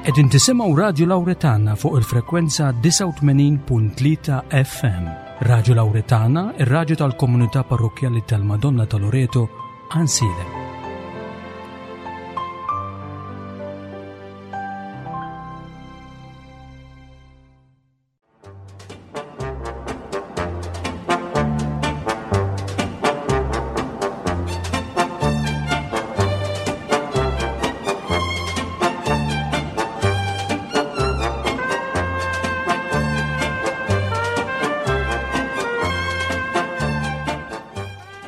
Qegħdin tisimgħu Radju Lawretana fuq il-frekwenza 89.3 FM. Radju Lawretana, ir-radju tal-komunità parrokkjali tal-Madonna ta' Loreto, Għansielem.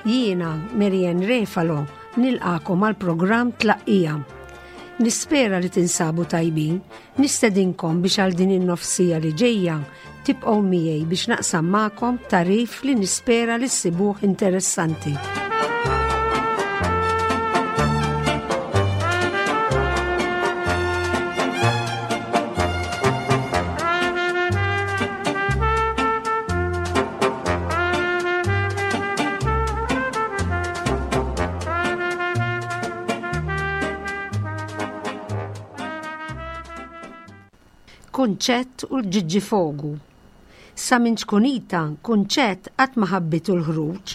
Jiena, Marianne Refalo, nilqakom għal programm Tlaqqija. Nispera li tinsabu tajbin, nistedinkom biex għal din in-nofsija li ġejja tibqgħu miegħi biex naqsam magħkom tarif li nispera li ssibuh interessanti. Kunċett u l-ġiġġifogu. Sa minn ċkunita, Kunċett qatt ma ħabbitu l-ħruġ.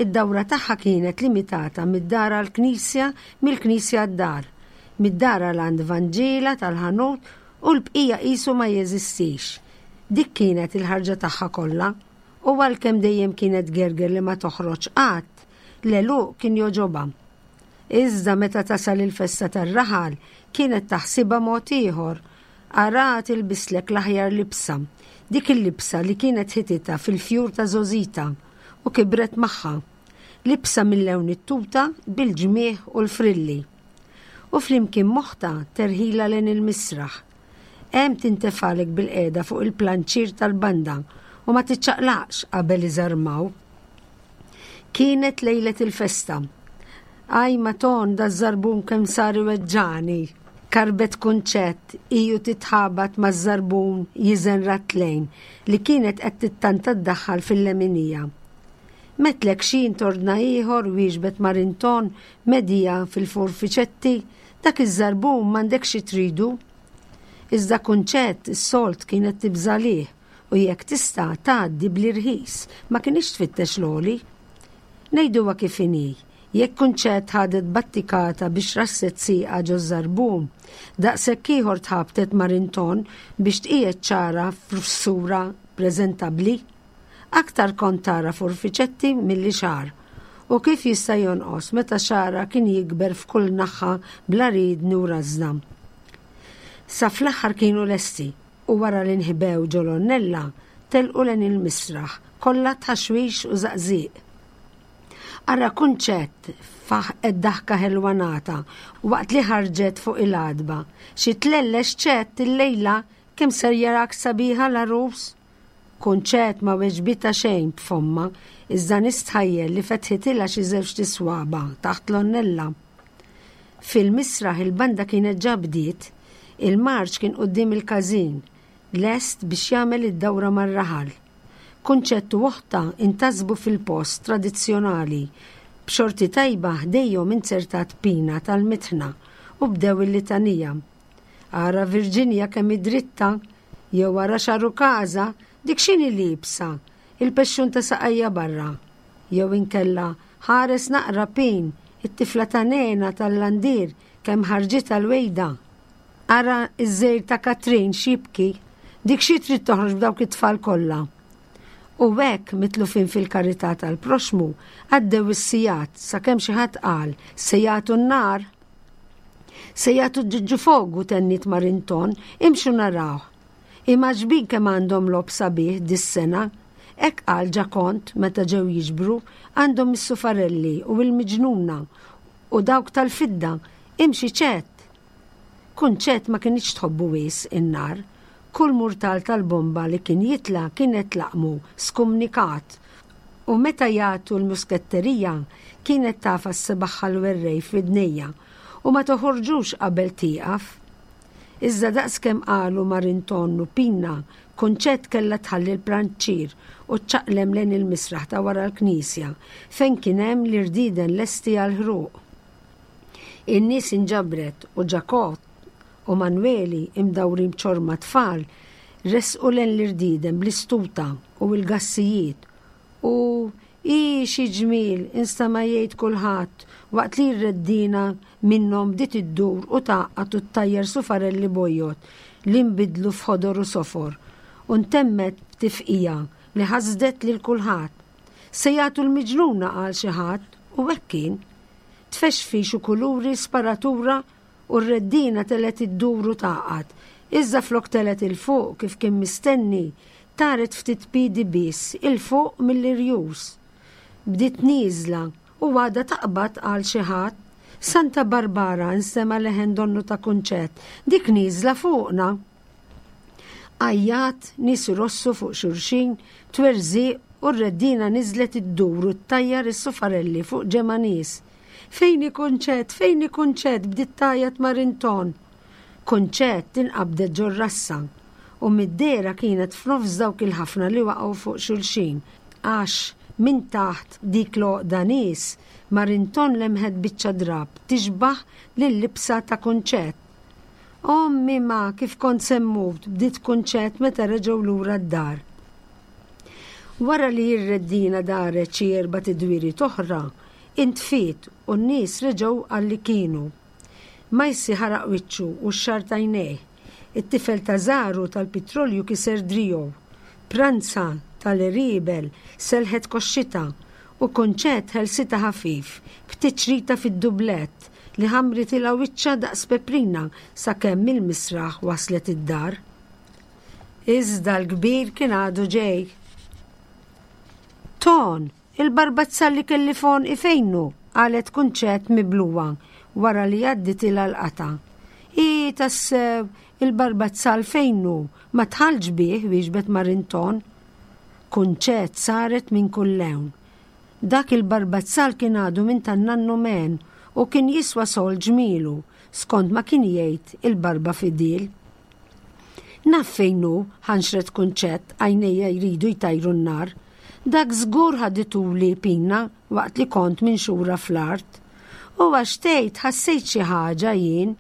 Id-dawra tagħha kienet limitata mid-dar għall-knisja, mill-knisja għad-dar, mid-dar għal għand Vanġiela tal-ħanut u l-bqija qisu ma jeżistix. Dik kienet il-ħarġa tagħha kollha. U għalkemm dejjem kienet tgerger li ma toħroġ qatt, l-għeluq kien jogħġobha. Iżda meta tasal il-festa tar-raħal kienet taħsibha mod ieħor. Araha tilbislek l-aħjar libsa, dik il-libsa li kienet ħititha fil-fjur ta' żgħożitha u kibret magħha. Libsa minn lewn it-tuta bil-ġmiegħ u l-frilli. U flimkien m'oħtha terħilha lejn il-misraħ. Hemm tintefgħalek bilqiegħda fuq il-planċier tal-banda u ma tiċċaqlaqx qabel iżarmaw. Kienet lejlet il-festa. Aj maton daż-żarbun kemm sar iweġġani. Karbet Kunċett iju titħabat maż-żarbun jiżen ratlejn li kienet qed tittanta ddaħħal fil-leminija. Metlek xi intordna ieħor wieġbet Marinton medija fil-forfiċetti, dak iż-żarbun m'għandekx xi tridu. Iżda Kunċett is-solt kienet tibża' lih u jekk tista' tgħaddi bl-irħis ma kinitx tfittex l-għoli. Ngħiduha kif inhi, jekk Kunċett ħadet battikata biex rasset sieqha ġoż-żarbun, daqshekk ieħor tħabtet ma' Rinton biex tqiegħed ċara f'sura preżentabbli. Aktar kont tara forfiċetti milli xagħar. U kif jista' jonqos meta xagħarha kien jikber f'kull naħa bla riedni u rażna. Sa fl-aħħar kienu lesti u wara li nħbew ġo l-għonnella telqu lejn il-misraħ kollha tħaxwix u żaqżiq. Ara Kunċett faħqet daħka ħelwa nata waqt li ħarġet fuq il-għatba. Xi tlellex Ċett illejla kemm ser jarak sabiħa l-għarus! Kunċett ma weġbitha xejn b'fommha, iżda nistħajjel li fetħitilha xi żewġt iswaba' taħt l-għonnella. Fil-misraħ il-banda kienet ġa bdiet, il-marċ kien quddiem il-każin, lest biex jagħmel id-dawra mar-raħal. Kunċett u oħtha intasbu fil-post tradizzjonali, b'xorti tajba ħdejhom inzertat pina tal-mitħna u bdew il-litanija. Ara Virginia kemm hi dritta, jew ara x'għarukaża, dik x'inhi liebsa, il-pexxun ta' saqajja barra. Jew inkella, ħares naqra Pin, it-tifla ta' Nena tal-Landier kemm ħarġitha l-wejda. Ara ż-żgħir ta' Katrin x'jibki, dik xi trid toħroġ b'dawk it-tfal kollha. U hekk, mitlufin fil-karità tal-proxxmu, għaddew is-sigħat sakemm xi ħadd qal, se jagħtu n-nar! Se jagħtu ġiġġifogu tenniet Marinton, imxu narawh. Imgħaġbin kemm għandhom logħob sabiħ dis-sena. Hekk qal Ġakont meta ġew jiġbru, għandhom is-sufarelli u l-miġnuna u dawk tal-fidda, imxi Ċett! Kunċett ma kinitx tħobbu wisq in-nar. Kull murtal tal-bomba li kien jitla' kienet tlaqmu skumnikat U meta jagħtu l-musketterija kienet tagħfas sebagħha l-werrej f'widnejha u ma toħorġux qabel tieqaf. Iżda daqskemm qalu Marinton u Pina, Kunċett kellha tħalli l-pranċier u ċċaqlem lejn il-misraħ ta' wara l-knisja fejn kien hemm l-irdieden lesti għall-ħruq. In-nies inġabret u Ġakott. U Manweli, imdawrin b'ċorma tfal, resqu lejn l-irdieden bl-istuta u l-gassijiet u Ii, xi ġmiel, instema' jgħid kulħadd waqt li r-reddiena minnhom bdiet iddur u tgħaqqad u ttajjar sufarelli bojod li nbidlu f'ħodor u sofor u ntemmet b'tifqigħa li ħasdet lil kulħadd. Se jagħtu l-miġnuna qal xi ħadd u hekk kien. Tfexfix u kuluri, sparatura u r-reddiena telgħet iddur u tgħaqqad, iżda flok telgħet 'il fuq kif kien mistenni, taret ftit piedi biss 'il fuq mill-irjus. Bdiet nieżla u għadha taqbad qal xi ħadd. Santa Barbara nstema' leħen donnu ta' Kunċett, dik nieżla fuqna! Għajjat, nies irossu fuq xulxin, twerżiq u r-reddiena niżlet iddur u ttajjar is-sufarelli fuq ġemgħa nies. Fejn hi Kunċett? Fejn hi Kunċett? bdiet tgħajjat Marinton. Kunċett inqabdet ġor-rassa u mid-dehra kienet f'nofs dawk il-ħafna li waqgħu fuq xulxin għax minn taħt dik l-għoqda nies Marinton lemħet biċċa drapp tixbah lil-libsa ta' Kunċett. Ommi ma, kif kont se mmut, bdiet Kunċett meta reġgħu lura d-dar. Wara li r-reddina daret xi erbat idwieriet oħra, intfiet u n-nies reġgħu għal li kienu. Majsi ħaraq wiċċu u x-xagħar t'għajnejh. It-tifel ta' Żaru tal-pitrolju kiser driegħu. Pranza tal-għeriebel selħet koxxitha u Kunċett ħelsitha ħafif b'tiċrita fid-dublett li ħammritilha wiċċha daqs peprina sakemm mill-misraħ waslet id-dar. Iżda l-kbir kien għadu ġej. Ton! Il-barbazzal li kelli f'għonqi fejn hu? qalet Kunċett miblugħa wara li għadditilha l-qatgħa. Hi, tassew, il-barbazzal fejn hu? Ma dħaltx bih, wieġbet Marinton. Kunċett saret minn kull lewn. Dak il-barbazzal kien għadu minn tan-nannu Men u kien jiswa sold ġmielu, skont ma kien jgħid il-barba fidil. Naf fejn hu, ħanxret Kunċett, għajnejja jridu jtajru n-nar. Dak żgur ħadituli Pina waqt li kont minxura fl-art. U għax tgħid ħassejt xi ħaġa jien.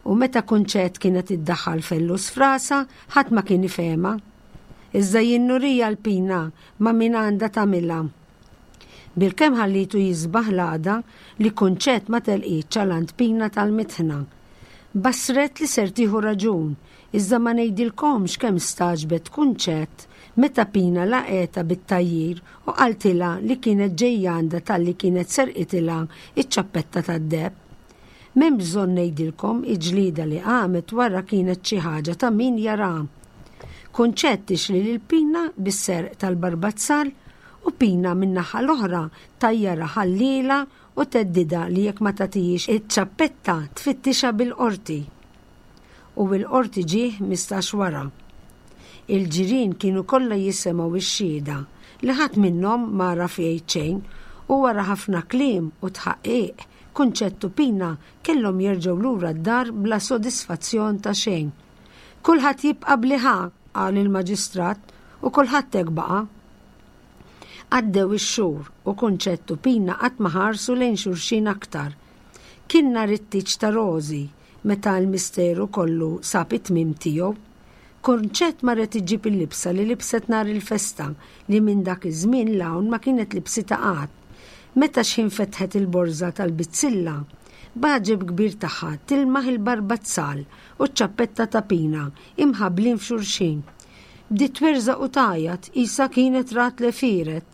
U meta Kunċett kienet iddaħħal fellus f'rasha, ħadd ma kien ifehemha. Iżda jien nuriha l-Pina ma' min għandha tagħmilha. Bilkemm ħallitu jisbaħ l-għada li Kunċett ma telqitx għal għand Pina tal-mitħna. Bassret li ser tieħu raġun, iżda ma ngħidilkomx kemm stagħġbet Kunċett meta Pina laqgħetha bit-tgħajjir u qaltilha li kienet ġejja għandha talli kienet serqitilha ċ-ċappetta tad-deheb. M'hemm bżonn ngħidilkom il-ġlieda li qamet wara kienet xi ħaġa ta' min jaraha. Kunċett tixli lil Pina bis-serq tal-barbazzal u Pina min-naħa l-oħra tgħajjarha ħalliela u theddidha li jekk ma tagħtihiex iċ-ċappetta tfittixha bil-qorti. U il-qorti ġie 15 wara. Il-ġirien kienu kollha jisemgħu x-xhieda li ħadd minnhom m'għaraf jgħid xejn u wara ħafna kliem u tħaqqiq Kunċett u Pina kellhom jerġgħu lura d-dar bla sodisfazzjon ta' xejn. Kulħadd jibqa' b'li ħa, qal il-maġistrat, u kulħadd hekk baqa'. Għaddew ix-xhur u Kunċett u Pina qatt ma ħarsu lejn xulxin aktar. Kien nhar it-tieġ ta' Rożi meta l-misteru kollu sab it-tmiem tiegħu. Kunċett marret iġġib il-libsa li libset nhar il-festa li minn dak iż-żmien 'l hawn ma kienet libsitha qatt. Meta x'ħin fetħet il-borża tal-bizzilla, b'għaġeb kbir tagħha tilmaħ il-barbazzal u ċ-ċappetta ta' Pina imħabblin f'xulxin. Bdiet twerżaq u tgħajjat qisha kienet rat l-għefieret.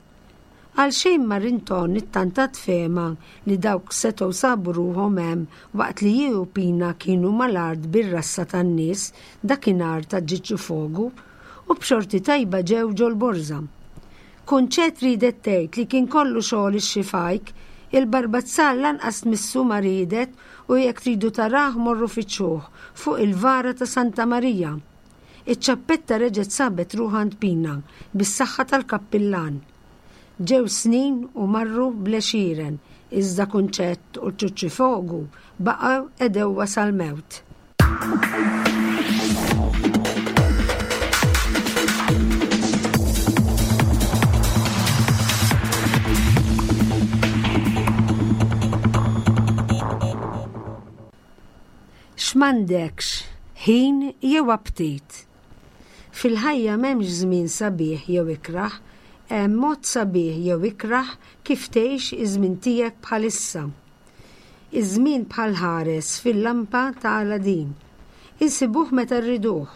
Għalxejn ma Rinton ittantat fehma li dawk setgħu sabu ruħhom hemm waqt li hi u Pina kienu mal-art bir-rassa tan-nies dakinhar ta' Ġiġġufogu u b'xorti tajba ġew ġol-borża. Kunċett riedet tgħid li kien kollu xogħol ix-xifajk, il-barbazzal lanqas tmissu ma riedet u jekk tridu tarah morru fittxuh fuq il-vara ta' Santa Marija. Iċ-ċappetta reġgħet sabet ruħha għand Pina bis-saħħa tal-kappillan. Ġew snin u marru bl-għexieren, iżda Kunċett u ċ-Ċuċċifogu baqgħu għedewwa sal-mewt. M'għandekx ħin jew aptit. Fil-ħajja m'hemmx żmien sabiħ jew ikrah, hemm mod sabiħ jew ikrah kif tgħix iż-żmien tiegħek bħalissa. Iż-żmien bħal ħares fil-lampa ta' Aladin. Insibuh meta rriduh.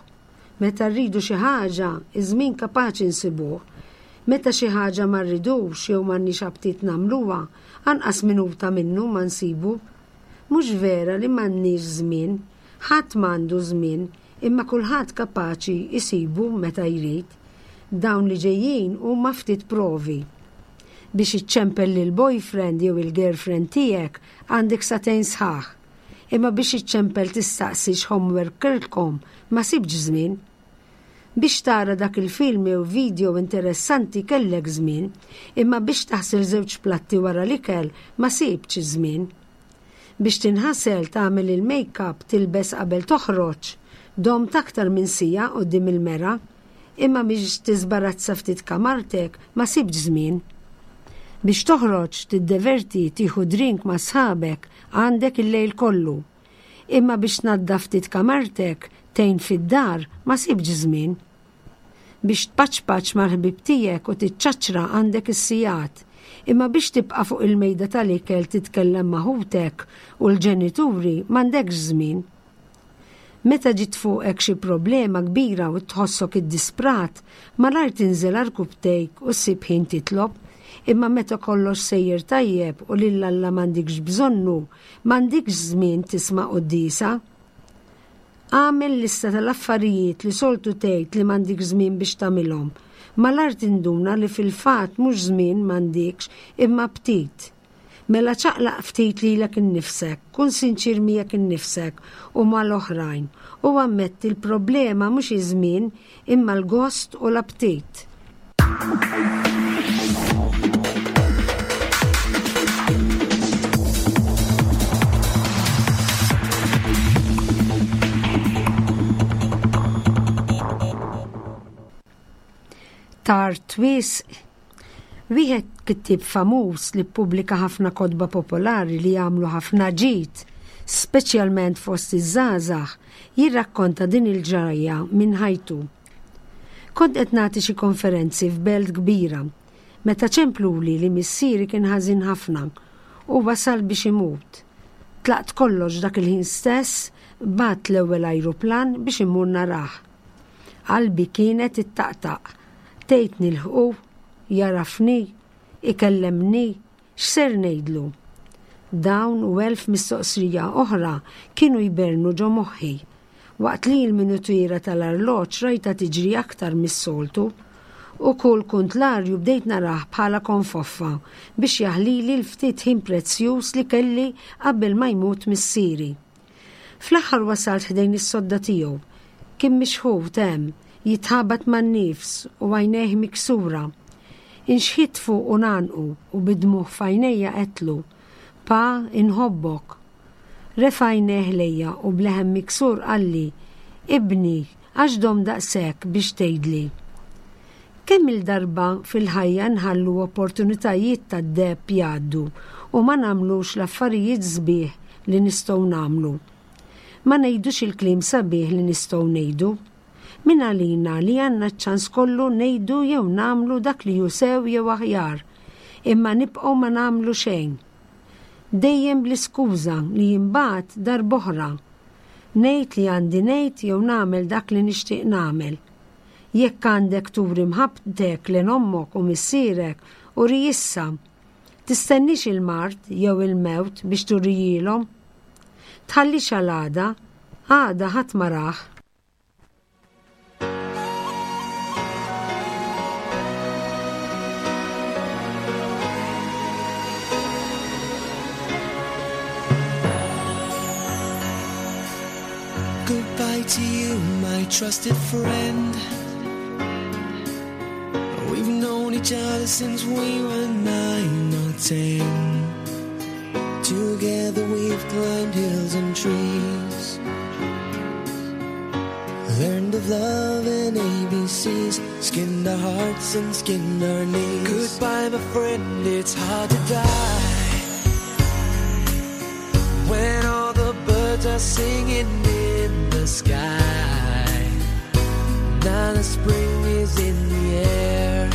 Meta rridu xi ħaġa, iż-żmien kapaċi nsibuh. Meta xi ħaġa ma rridux jew m'għandniex aptit nagħmluha, anqas minuta minnu ma nsibu. Mhux vera li m'għandniex żmien. Ħadd m'għandu żmien, imma kulħadd kapaċi jsibu meta jrid. Dawn li ġejjin huma ftit provi. Biex iċċempel lill-boyfriend jew il-girlfriend tiegħek għandek sagħtejn sħaħ. Imma biex iċċempel tistaqsi x'homework kellkom ma sibtx żmien. Biex tara dak il-film jew video interessanti kellek żmien, imma biex taħsel żewġ platti wara l-ikel ma sibtx iż-żmien. Biex tinħasel, tagħmel il-makeup, tilbes qabel toħroġ, domt aktar minn siegħa quddiem il-mera, imma biex tiżbarazza ftit kamartek ma sibtx żmien. Biex toħroġ, tiddeverti, tieħu drink ma' sħabek għandek il-lejl kollu. Imma biex tnaddaf ftit kamartek, tgħin fid-dar, ma sibtx żmien. Biex tpaċpaċ mal-ħbieb tiegħek u tiċċaċċra għandek is-sigħat. Imma biex tibqa' fuq il-mejda tal-ikel titkellem ma' ħutek u l-ġenituri m'għandekx żmien. Meta ġiet fuqek xi problema kbira u tħossok iddisprat, malajr tinżel għarkupptejk u ssib ħin titlob. Imma meta kollox sejjer tajjeb u lil Alla m'għandikx bżonnu, M'għandikx żmien tisma' quddiesa? Agħmel lista tal-affarijiet li soltu tgħid li m'għandikx żmien biex tagħmilhom. Malajr tinduna li fil-fatt mhux żmien m'għandikx imma aptit. Mela ċaqlaq ftit lilek innifsek, kun sinċier miegħek innifsek u mal-oħrajn u ammetti l-problema mhux iż-żmien imma l-gost u l-aptit. Tard wisq. Wieħed kittieb famuż li ppubblika ħafna kotba popolari li jagħmlu ħafna ġid, speċjalment fost iż-żgħażagħ, jirrakkonta din il-ġrajja minn ħajtu. Kont qed nagħti xi konferenzi f'belt kbira meta ċempluli li missieri kien ħażin ħafna u wasal biex imut. Tlaqt kollox dak il-ħin stess, bgħatt l-ewwel ajruplan biex immur narah. Qalbi kienet ittaqtaq. Tgħid nilħqu? Jagħrafni? Ikellemni? X'ser ngħidlu? Dawn u elf mistoqsija oħra kienu jbernu ġo moħħi. Waqt li l-minutiera tal-arloġġ rajtha tiġri aktar mis-soltu, u kull kuntlarju bdejt narah bħala konfoffa biex jaħlili l-ftit ħin prezzjuż li kelli qabel ma jmut missieri. Fl-aħħar wasalt ħdejn is-sodda tiegħu. Kien mixħut hemm, jitħabat man-nifs u għajnejh miksura. Inxħitt fuqu ngħannqu u bid-dmugħ f'għajnejja għedtlu, Pa, inħobbok. Refa' għajnejh lejja u b'leħen miksur qalli, Ibni, għax domt daqshekk biex tgħidli? Kemm-il darba fil-ħajja nħallu opportunitajiet tad-deheb jgħaddu u ma nagħmlux l-affarijiet sbieħ li nistgħu nagħmlu? Ma ngħidux il-kliem sabiħ li nistgħu ngħidu? Min għalina li għandna ċ-ċans kollu ngħidu jew nagħmlu dak li hu sew jew aħjar, imma nibqgħu ma nagħmlu xejn. Dejjem bl-iskuża li imbagħad darb'oħra. Ngħid li għandi ngħid jew nagħmel dak li nixtieq nagħmel. Jekk għandek turi mħabbtek lejn ommok u missierek, uri issa. Tistenniex il-mard jew il-mewt biex turihielhom. Tħallix għal għada, għada ħadd ma rah. Goodbye to you, my trusted friend. We've known each other since we were nine or ten. Together we've climbed hills and trees. Learned of love and ABCs, skinned our hearts and skinned our knees. Goodbye, my friend, it's hard to die. When all the birds are are singing in the sky. Now the spring is in the air.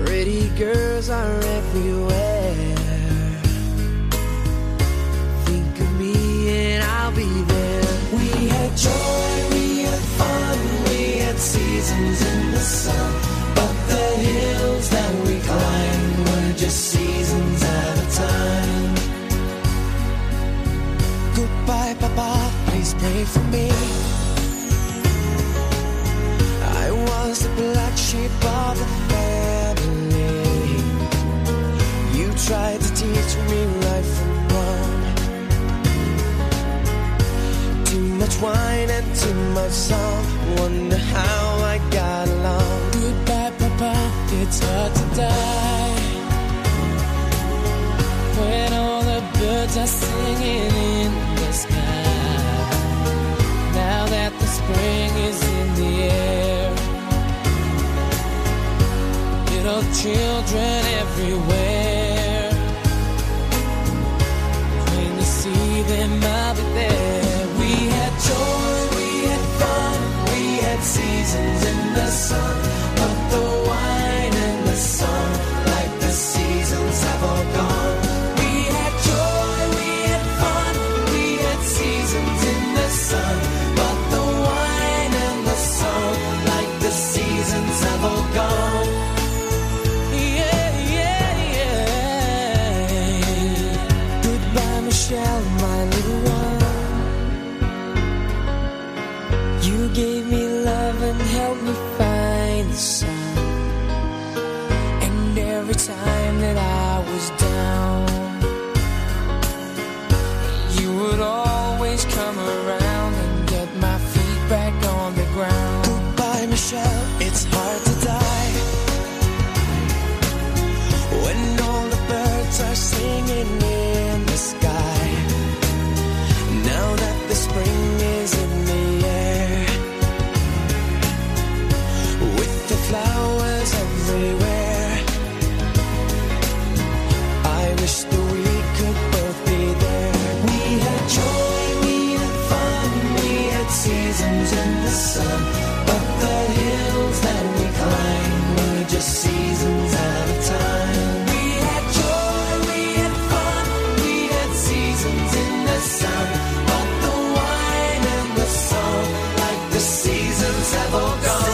Pretty girls are everywhere. Think of me and I'll be there. We had joy, we had fun, we had seasons in the sun. But the hills that we climbed were just seasons at a time. Goodbye, Papa, please pray for me. I was the black sheep of the family. You tried to teach me right from wrong. Too much wine and too much song. Wonder how I got along. Goodbye, Papa, it's hard to die when all the birds are singing in the sky. Now that the spring is in the air, little children everywhere. When you see them, I'll be there. We had joy, we had fun, we had seasons in the sun. But the wine and the song, like the seasons have all gone. We had joy, we had fun, we had seasons in the sun. But the wine and the song, like the seasons have all gone. Yeah, yeah, yeah. Goodbye, Michelle, my little one. You gave me love and helped me find the sun. And every time that I was down, you would always come around and get my feet back on the ground. Goodbye, Michelle, it's hard to die when all the birds are singing in the sky. Now that the spring is in the air, with the flowers everywhere, I wish that we could both be there. We had joy, we had fun, we had seasons in the sun. But the hills that we climbed were just seasons at a time. We had joy, we had fun, we had seasons in the sun. But the wine and the song, like the seasons have all gone.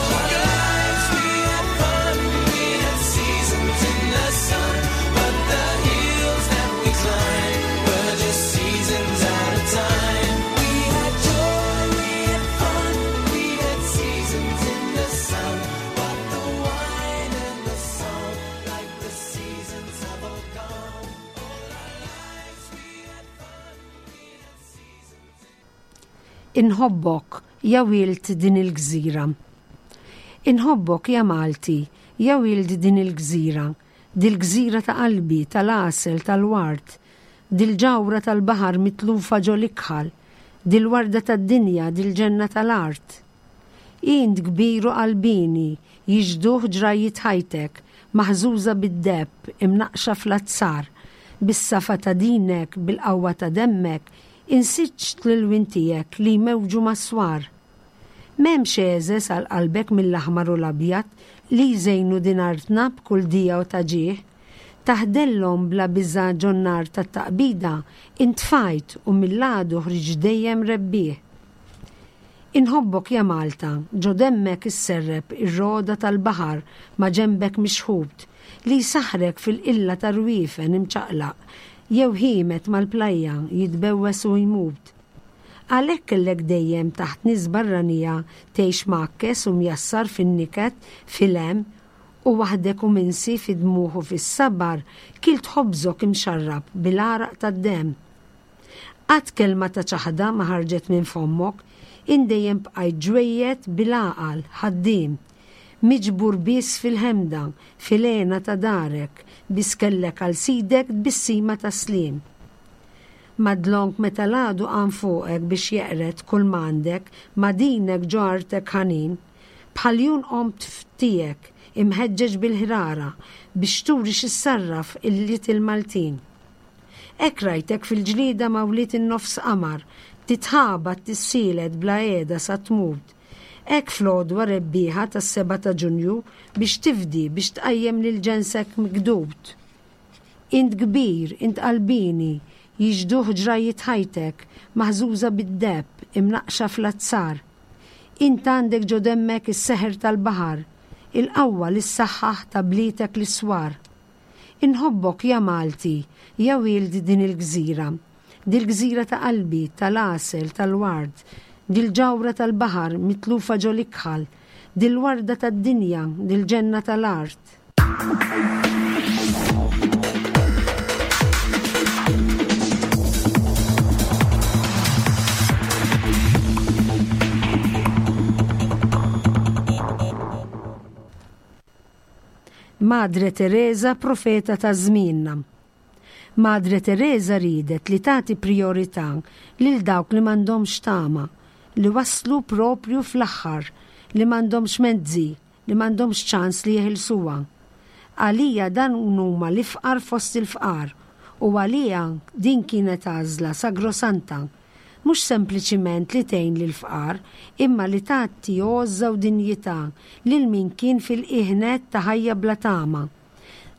All our lives we had fun, we had seasons in the sun. But the hills that we climbed were just seasons at a time. We had joy, we had fun, we had seasons in the sun. But the wine and the song, like the seasons have all gone. All our lives we had fun, we had seasons. Inħobbok ja wild din il-gżira. Inħobbok ja Malti, ja wild din il-gżira, dil-gżira ta' qalbi, tal-għasel, tal-ward, dil-ġawhra tal-baħar mitlufa ġol-ikħal, dil-warda tad-dinja, dil-ġenna tal-art. Int kbir u qalbieni, jixduh ġrajiet ħajtek, maħżuża bid-deheb, imnaqxa fl-azzar, bis-safa ta' dinek, bil-qawwa ta' demmek, insiġt l-ilwien tiegħek li jmewġu mas-swar. M'hemmx egħżeż għal qalbek mill-aħmar u l-abjad li jżejnu din artna b'kull dija u ta' ġieħ. Taħdellhom bla biża' ġon-nar tat-taqbida, intfajt u mill-għadu ħriġt dejjem rebbieħ. Inħobbok ja Malta, ġo demmek isserrep ir-roda tal-baħar ma' ġembek mixħut li jsaħrek fil-qilla tar-rwiefen imċaqlaq jew ħiemed mal-plajja jitbewwes u jmut. Għalhekk kellek dejjem taħt nies barranija tgħix mgħakkes u mjassar fin-niket fil-hemm u waħdek u minsi fid-dmugħ u fis-sabar kilt ħobżok imxarrab bil-għaraq tad-demm. Qatt kelma ta' ċaħda ma ħarġet minn fommok, int dejjem bqajt ġwejjed bil-għaqal, ħaddiem. Miġbur biss fil-ħemda, fil-hena ta' darek, biss kellek għal sidek tbissima ta' sliem. Madlonk meta l-għadu qam fuqek biex jeqred kull m'għandek, ma' dinek ġo artek ħanin, bħal iljun qomt f'tiegħek, imħeġġeġ bil-ħrara biex turi x'issarraf il-Maltin. Hekk rajtek fil-ġlieda ma' wlied in-nofs qamar, titħabat tissielet bla qiegħda sa tmut. Hekk fl-għodwa rebbieħa tas-sebgħa ta' Ġunju biex tifdi, biex tqajjem lil ġensek mikdud. Int kbir, int qalbieni, jixhduh ġrajjiet ħajtek, maħżuża bid-deheb, imnaqqxa fl-azzar. Int għandek ġo demmek is-seħer tal-baħar, il-qawwa li ssaħħaħ ta' blietek l-iswar. Inħobbok ja Malti, ja wild din il-gżira. Dil-gżira ta' qalbi, tal-għasel, tal-ward, dil-ġawhra tal-baħar mitlufa ġo l-ikħal, dil-warda tad-dinja, dil-ġenna tal-art. Madre Tereża profeta ta' żmienna. Madre Tereża riedet li tagħti prijorità lil dawk li m'għandhomx tama, li waslu proprju fl-aħħar, li m'għandhomx mezzi, li m'għandhomx ċans li jeħilsuha. Għalija dan huma l-ifqar fost il-fqar u għaliha din kienet għażla sagrosanta. Mhux sempliċiment li tgħin lill-fqar, imma li tagħti għożża u dinjità lil min kien fil-qiegħ nett ta' ħajja bla tama.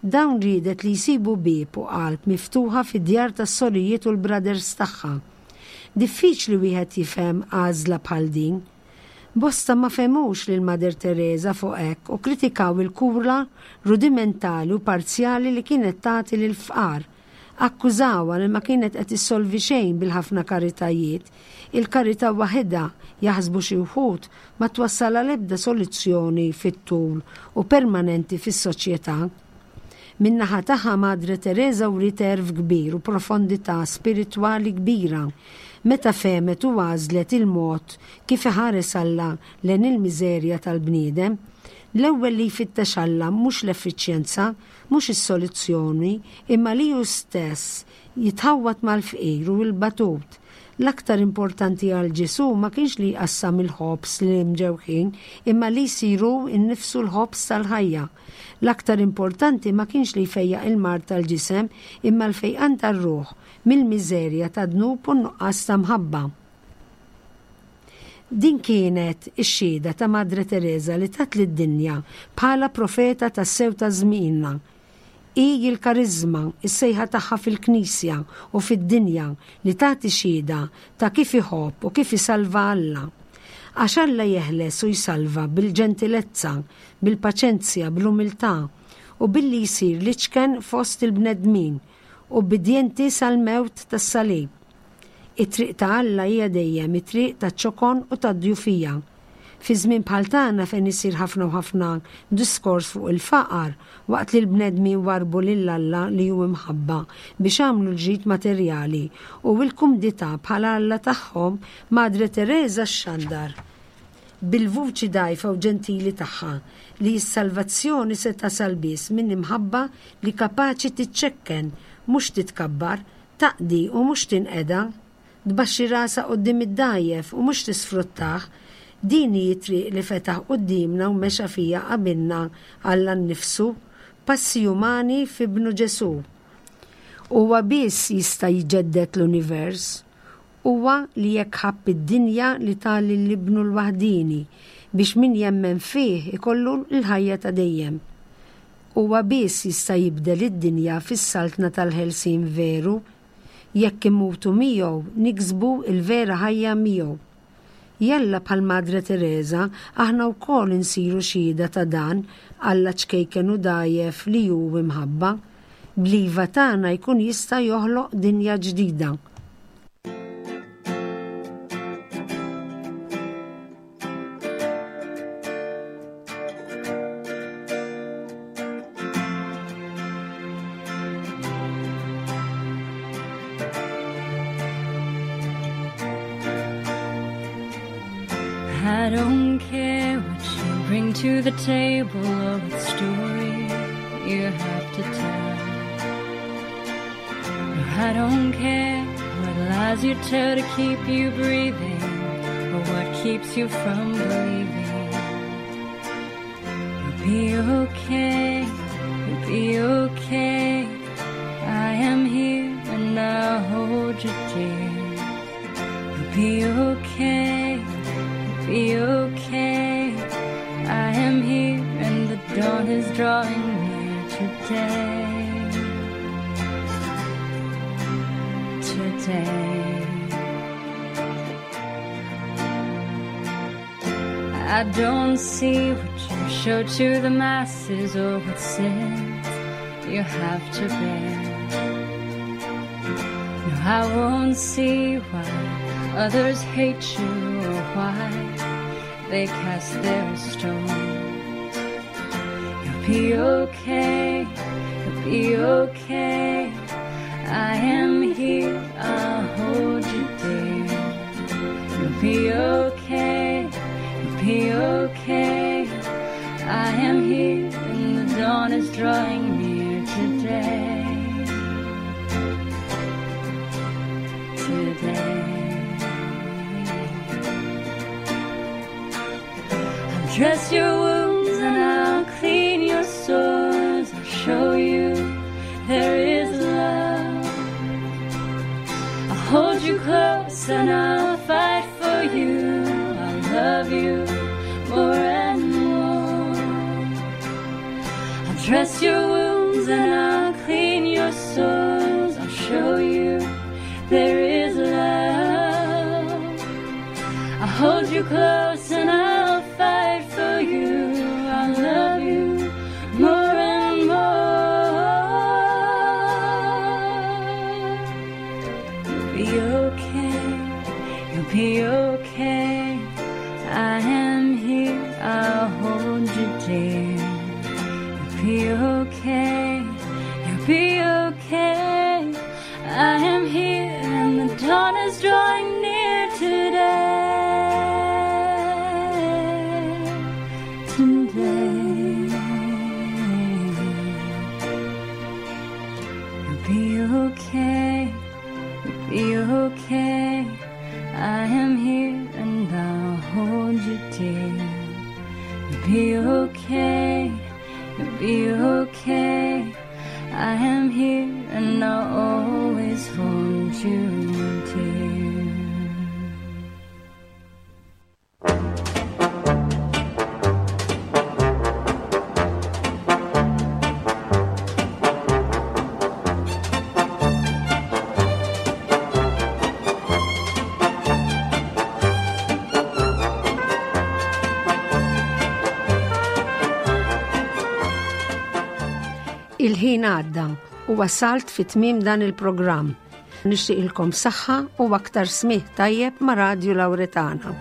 Dawn riedet li jsibu bieb u qalb miftuħa fid-djar tas-sorijiet u l-brothers tagħha. Diffiċli wieħed jifhem għażla bħal din. Bosta ma fehmux lil Mother Teresa fuq hekk u kkritikaw il-kura rudimentali u parzjali li kienet tagħti lill-fqar. Akkużawha li ma kienet qed issolvi xejn bil-ħafna karitajiet. Il-karità waħidha, jaħsbu xi wħud, ma twassal għal ebda soluzzjoni fit-tul u permanenti fis-soċjetà. Min-naħa tagħha Madre Teresa wriet għerf kbir u profondità spiritwali kbira meta fehmet u għażlet il-mod kif iħares Alla lejn il-miżerja tal-bniedem. L-ewwel li jfittex Alla mhux l-effiċjenza, mhux is-soluzzjoni, imma li hu stess jitħawwad mal-fqir u l-batut. L-aktar importanti għal Ġesù ma kienx li jqassam il-ħobż lill-imġewħin, imma li jsir hu nnifsu l-ħobż tal-ħajja. L-aktar importanti ma kienx li jfejjaq il-mard tal-ġisem, imma l-fejqan tar-ruħ mill-miżerja tad-dnub u n-nuqqas ta' mħabba. Din kienet ix-xhieda ta' Madre Teresa li tat lid-dinja bħala profeta tassew ta' żmienna. Hi l-kariżma, is-sejħa tagħha fil-Knisja u fid-dinja li tagħti xhieda ta' kif iħobb u kif isalva Alla. Għax Alla jeħles u jsalva bil-ġentilezza, bil-paċenzja, bl-umiltà, u billi jsir l-iċken fost il-bnedmin, ubbidjenti sal-mewt tas-salib. It-triq ta' Alla hija dejjem it-triq taċ-ċokon u tad-djufija. Fi żmien bħal tagħna fejn isir ħafna u ħafna diskors fuq il-faqar, waqt li l-bnedmin warrbu lil Alla li hu imħabba biex għamlu l-ġid materjali u l-kumdità bħala alla tagħhom, Madre Teresa xxandar bil-vuċi dgħajfa u ġentili tagħha li s-salvazzjoni se tasal biss minn imħabba li kapaċi tiċċekken mhux titkabbar, Taqdi u mhux tinqeda. Tbaxxi rasha quddiem id-dgħajjef u mhux tisfruttah. Din hi t-triq li fetaħ quddiemna u mexa fiha qabilna Alla nnifsu, passi umani f'Ibnu Ġesù. Huwa biss jista' jġedded l-univers. Huwa li hekk ħabb id-dinja li ta lil Ibnu l-waħdieni biex min jemmen fih ikollu l-ħajja ta' dejjem. Huwa biss jista' jibdel id-dinja fis-saltna tal-ħelsien veru. Jekk immutu miegħu, niksbu l-vera ħajja miegħu. Jalla bħal Madre Tereża, aħna wkoll insiru xhieda ta' dan Alla ċkejken u dgħajjef li hu imħabba. Bl-iva tagħna jkun jista' joħloq dinja ġdida. I don't care what you bring to the table or what story you have to tell. No, I don't care what lies you tell to keep you breathing or what keeps you from believing. You'll be okay, you'll be okay. I am here and I You'll be okay, you'll be okay. I am here and the dawn is drawing near today. Today. I don't see what you show to the masses or what sins you have to bear. No, I won't see why others hate you or why they cast their stones. You'll be okay, you'll be okay. I am here, I'll hold you dear. You'll be okay, you'll be okay. I am here, and the dawn is drawing near today. Today. I'll dress your wounds and I'll clean your sores. I'll show you there is love. I'll hold you close and I'll fight for you. I'll love you more and more. I'll dress your wounds and I'll clean your sores. I'll show you there is love. I'll hold you close and I'll fight for you. I'll love you more and more. You'll be okay, you'll be okay. I am here, I'll hold you dear. You'll be okay, you'll be okay. I am here and the dawn is drawing near today. Today. You'll be okay, you'll be okay. I am here and I'll hold you dear. You'll be okay, you'll be okay. I am here and I'll always hold you dear. Il-ħin għadda u wasalt fi tmiem dan il-programm. Nixtieqilkom saħħa u aktar smih tajjeb ma' Radju Lawretana.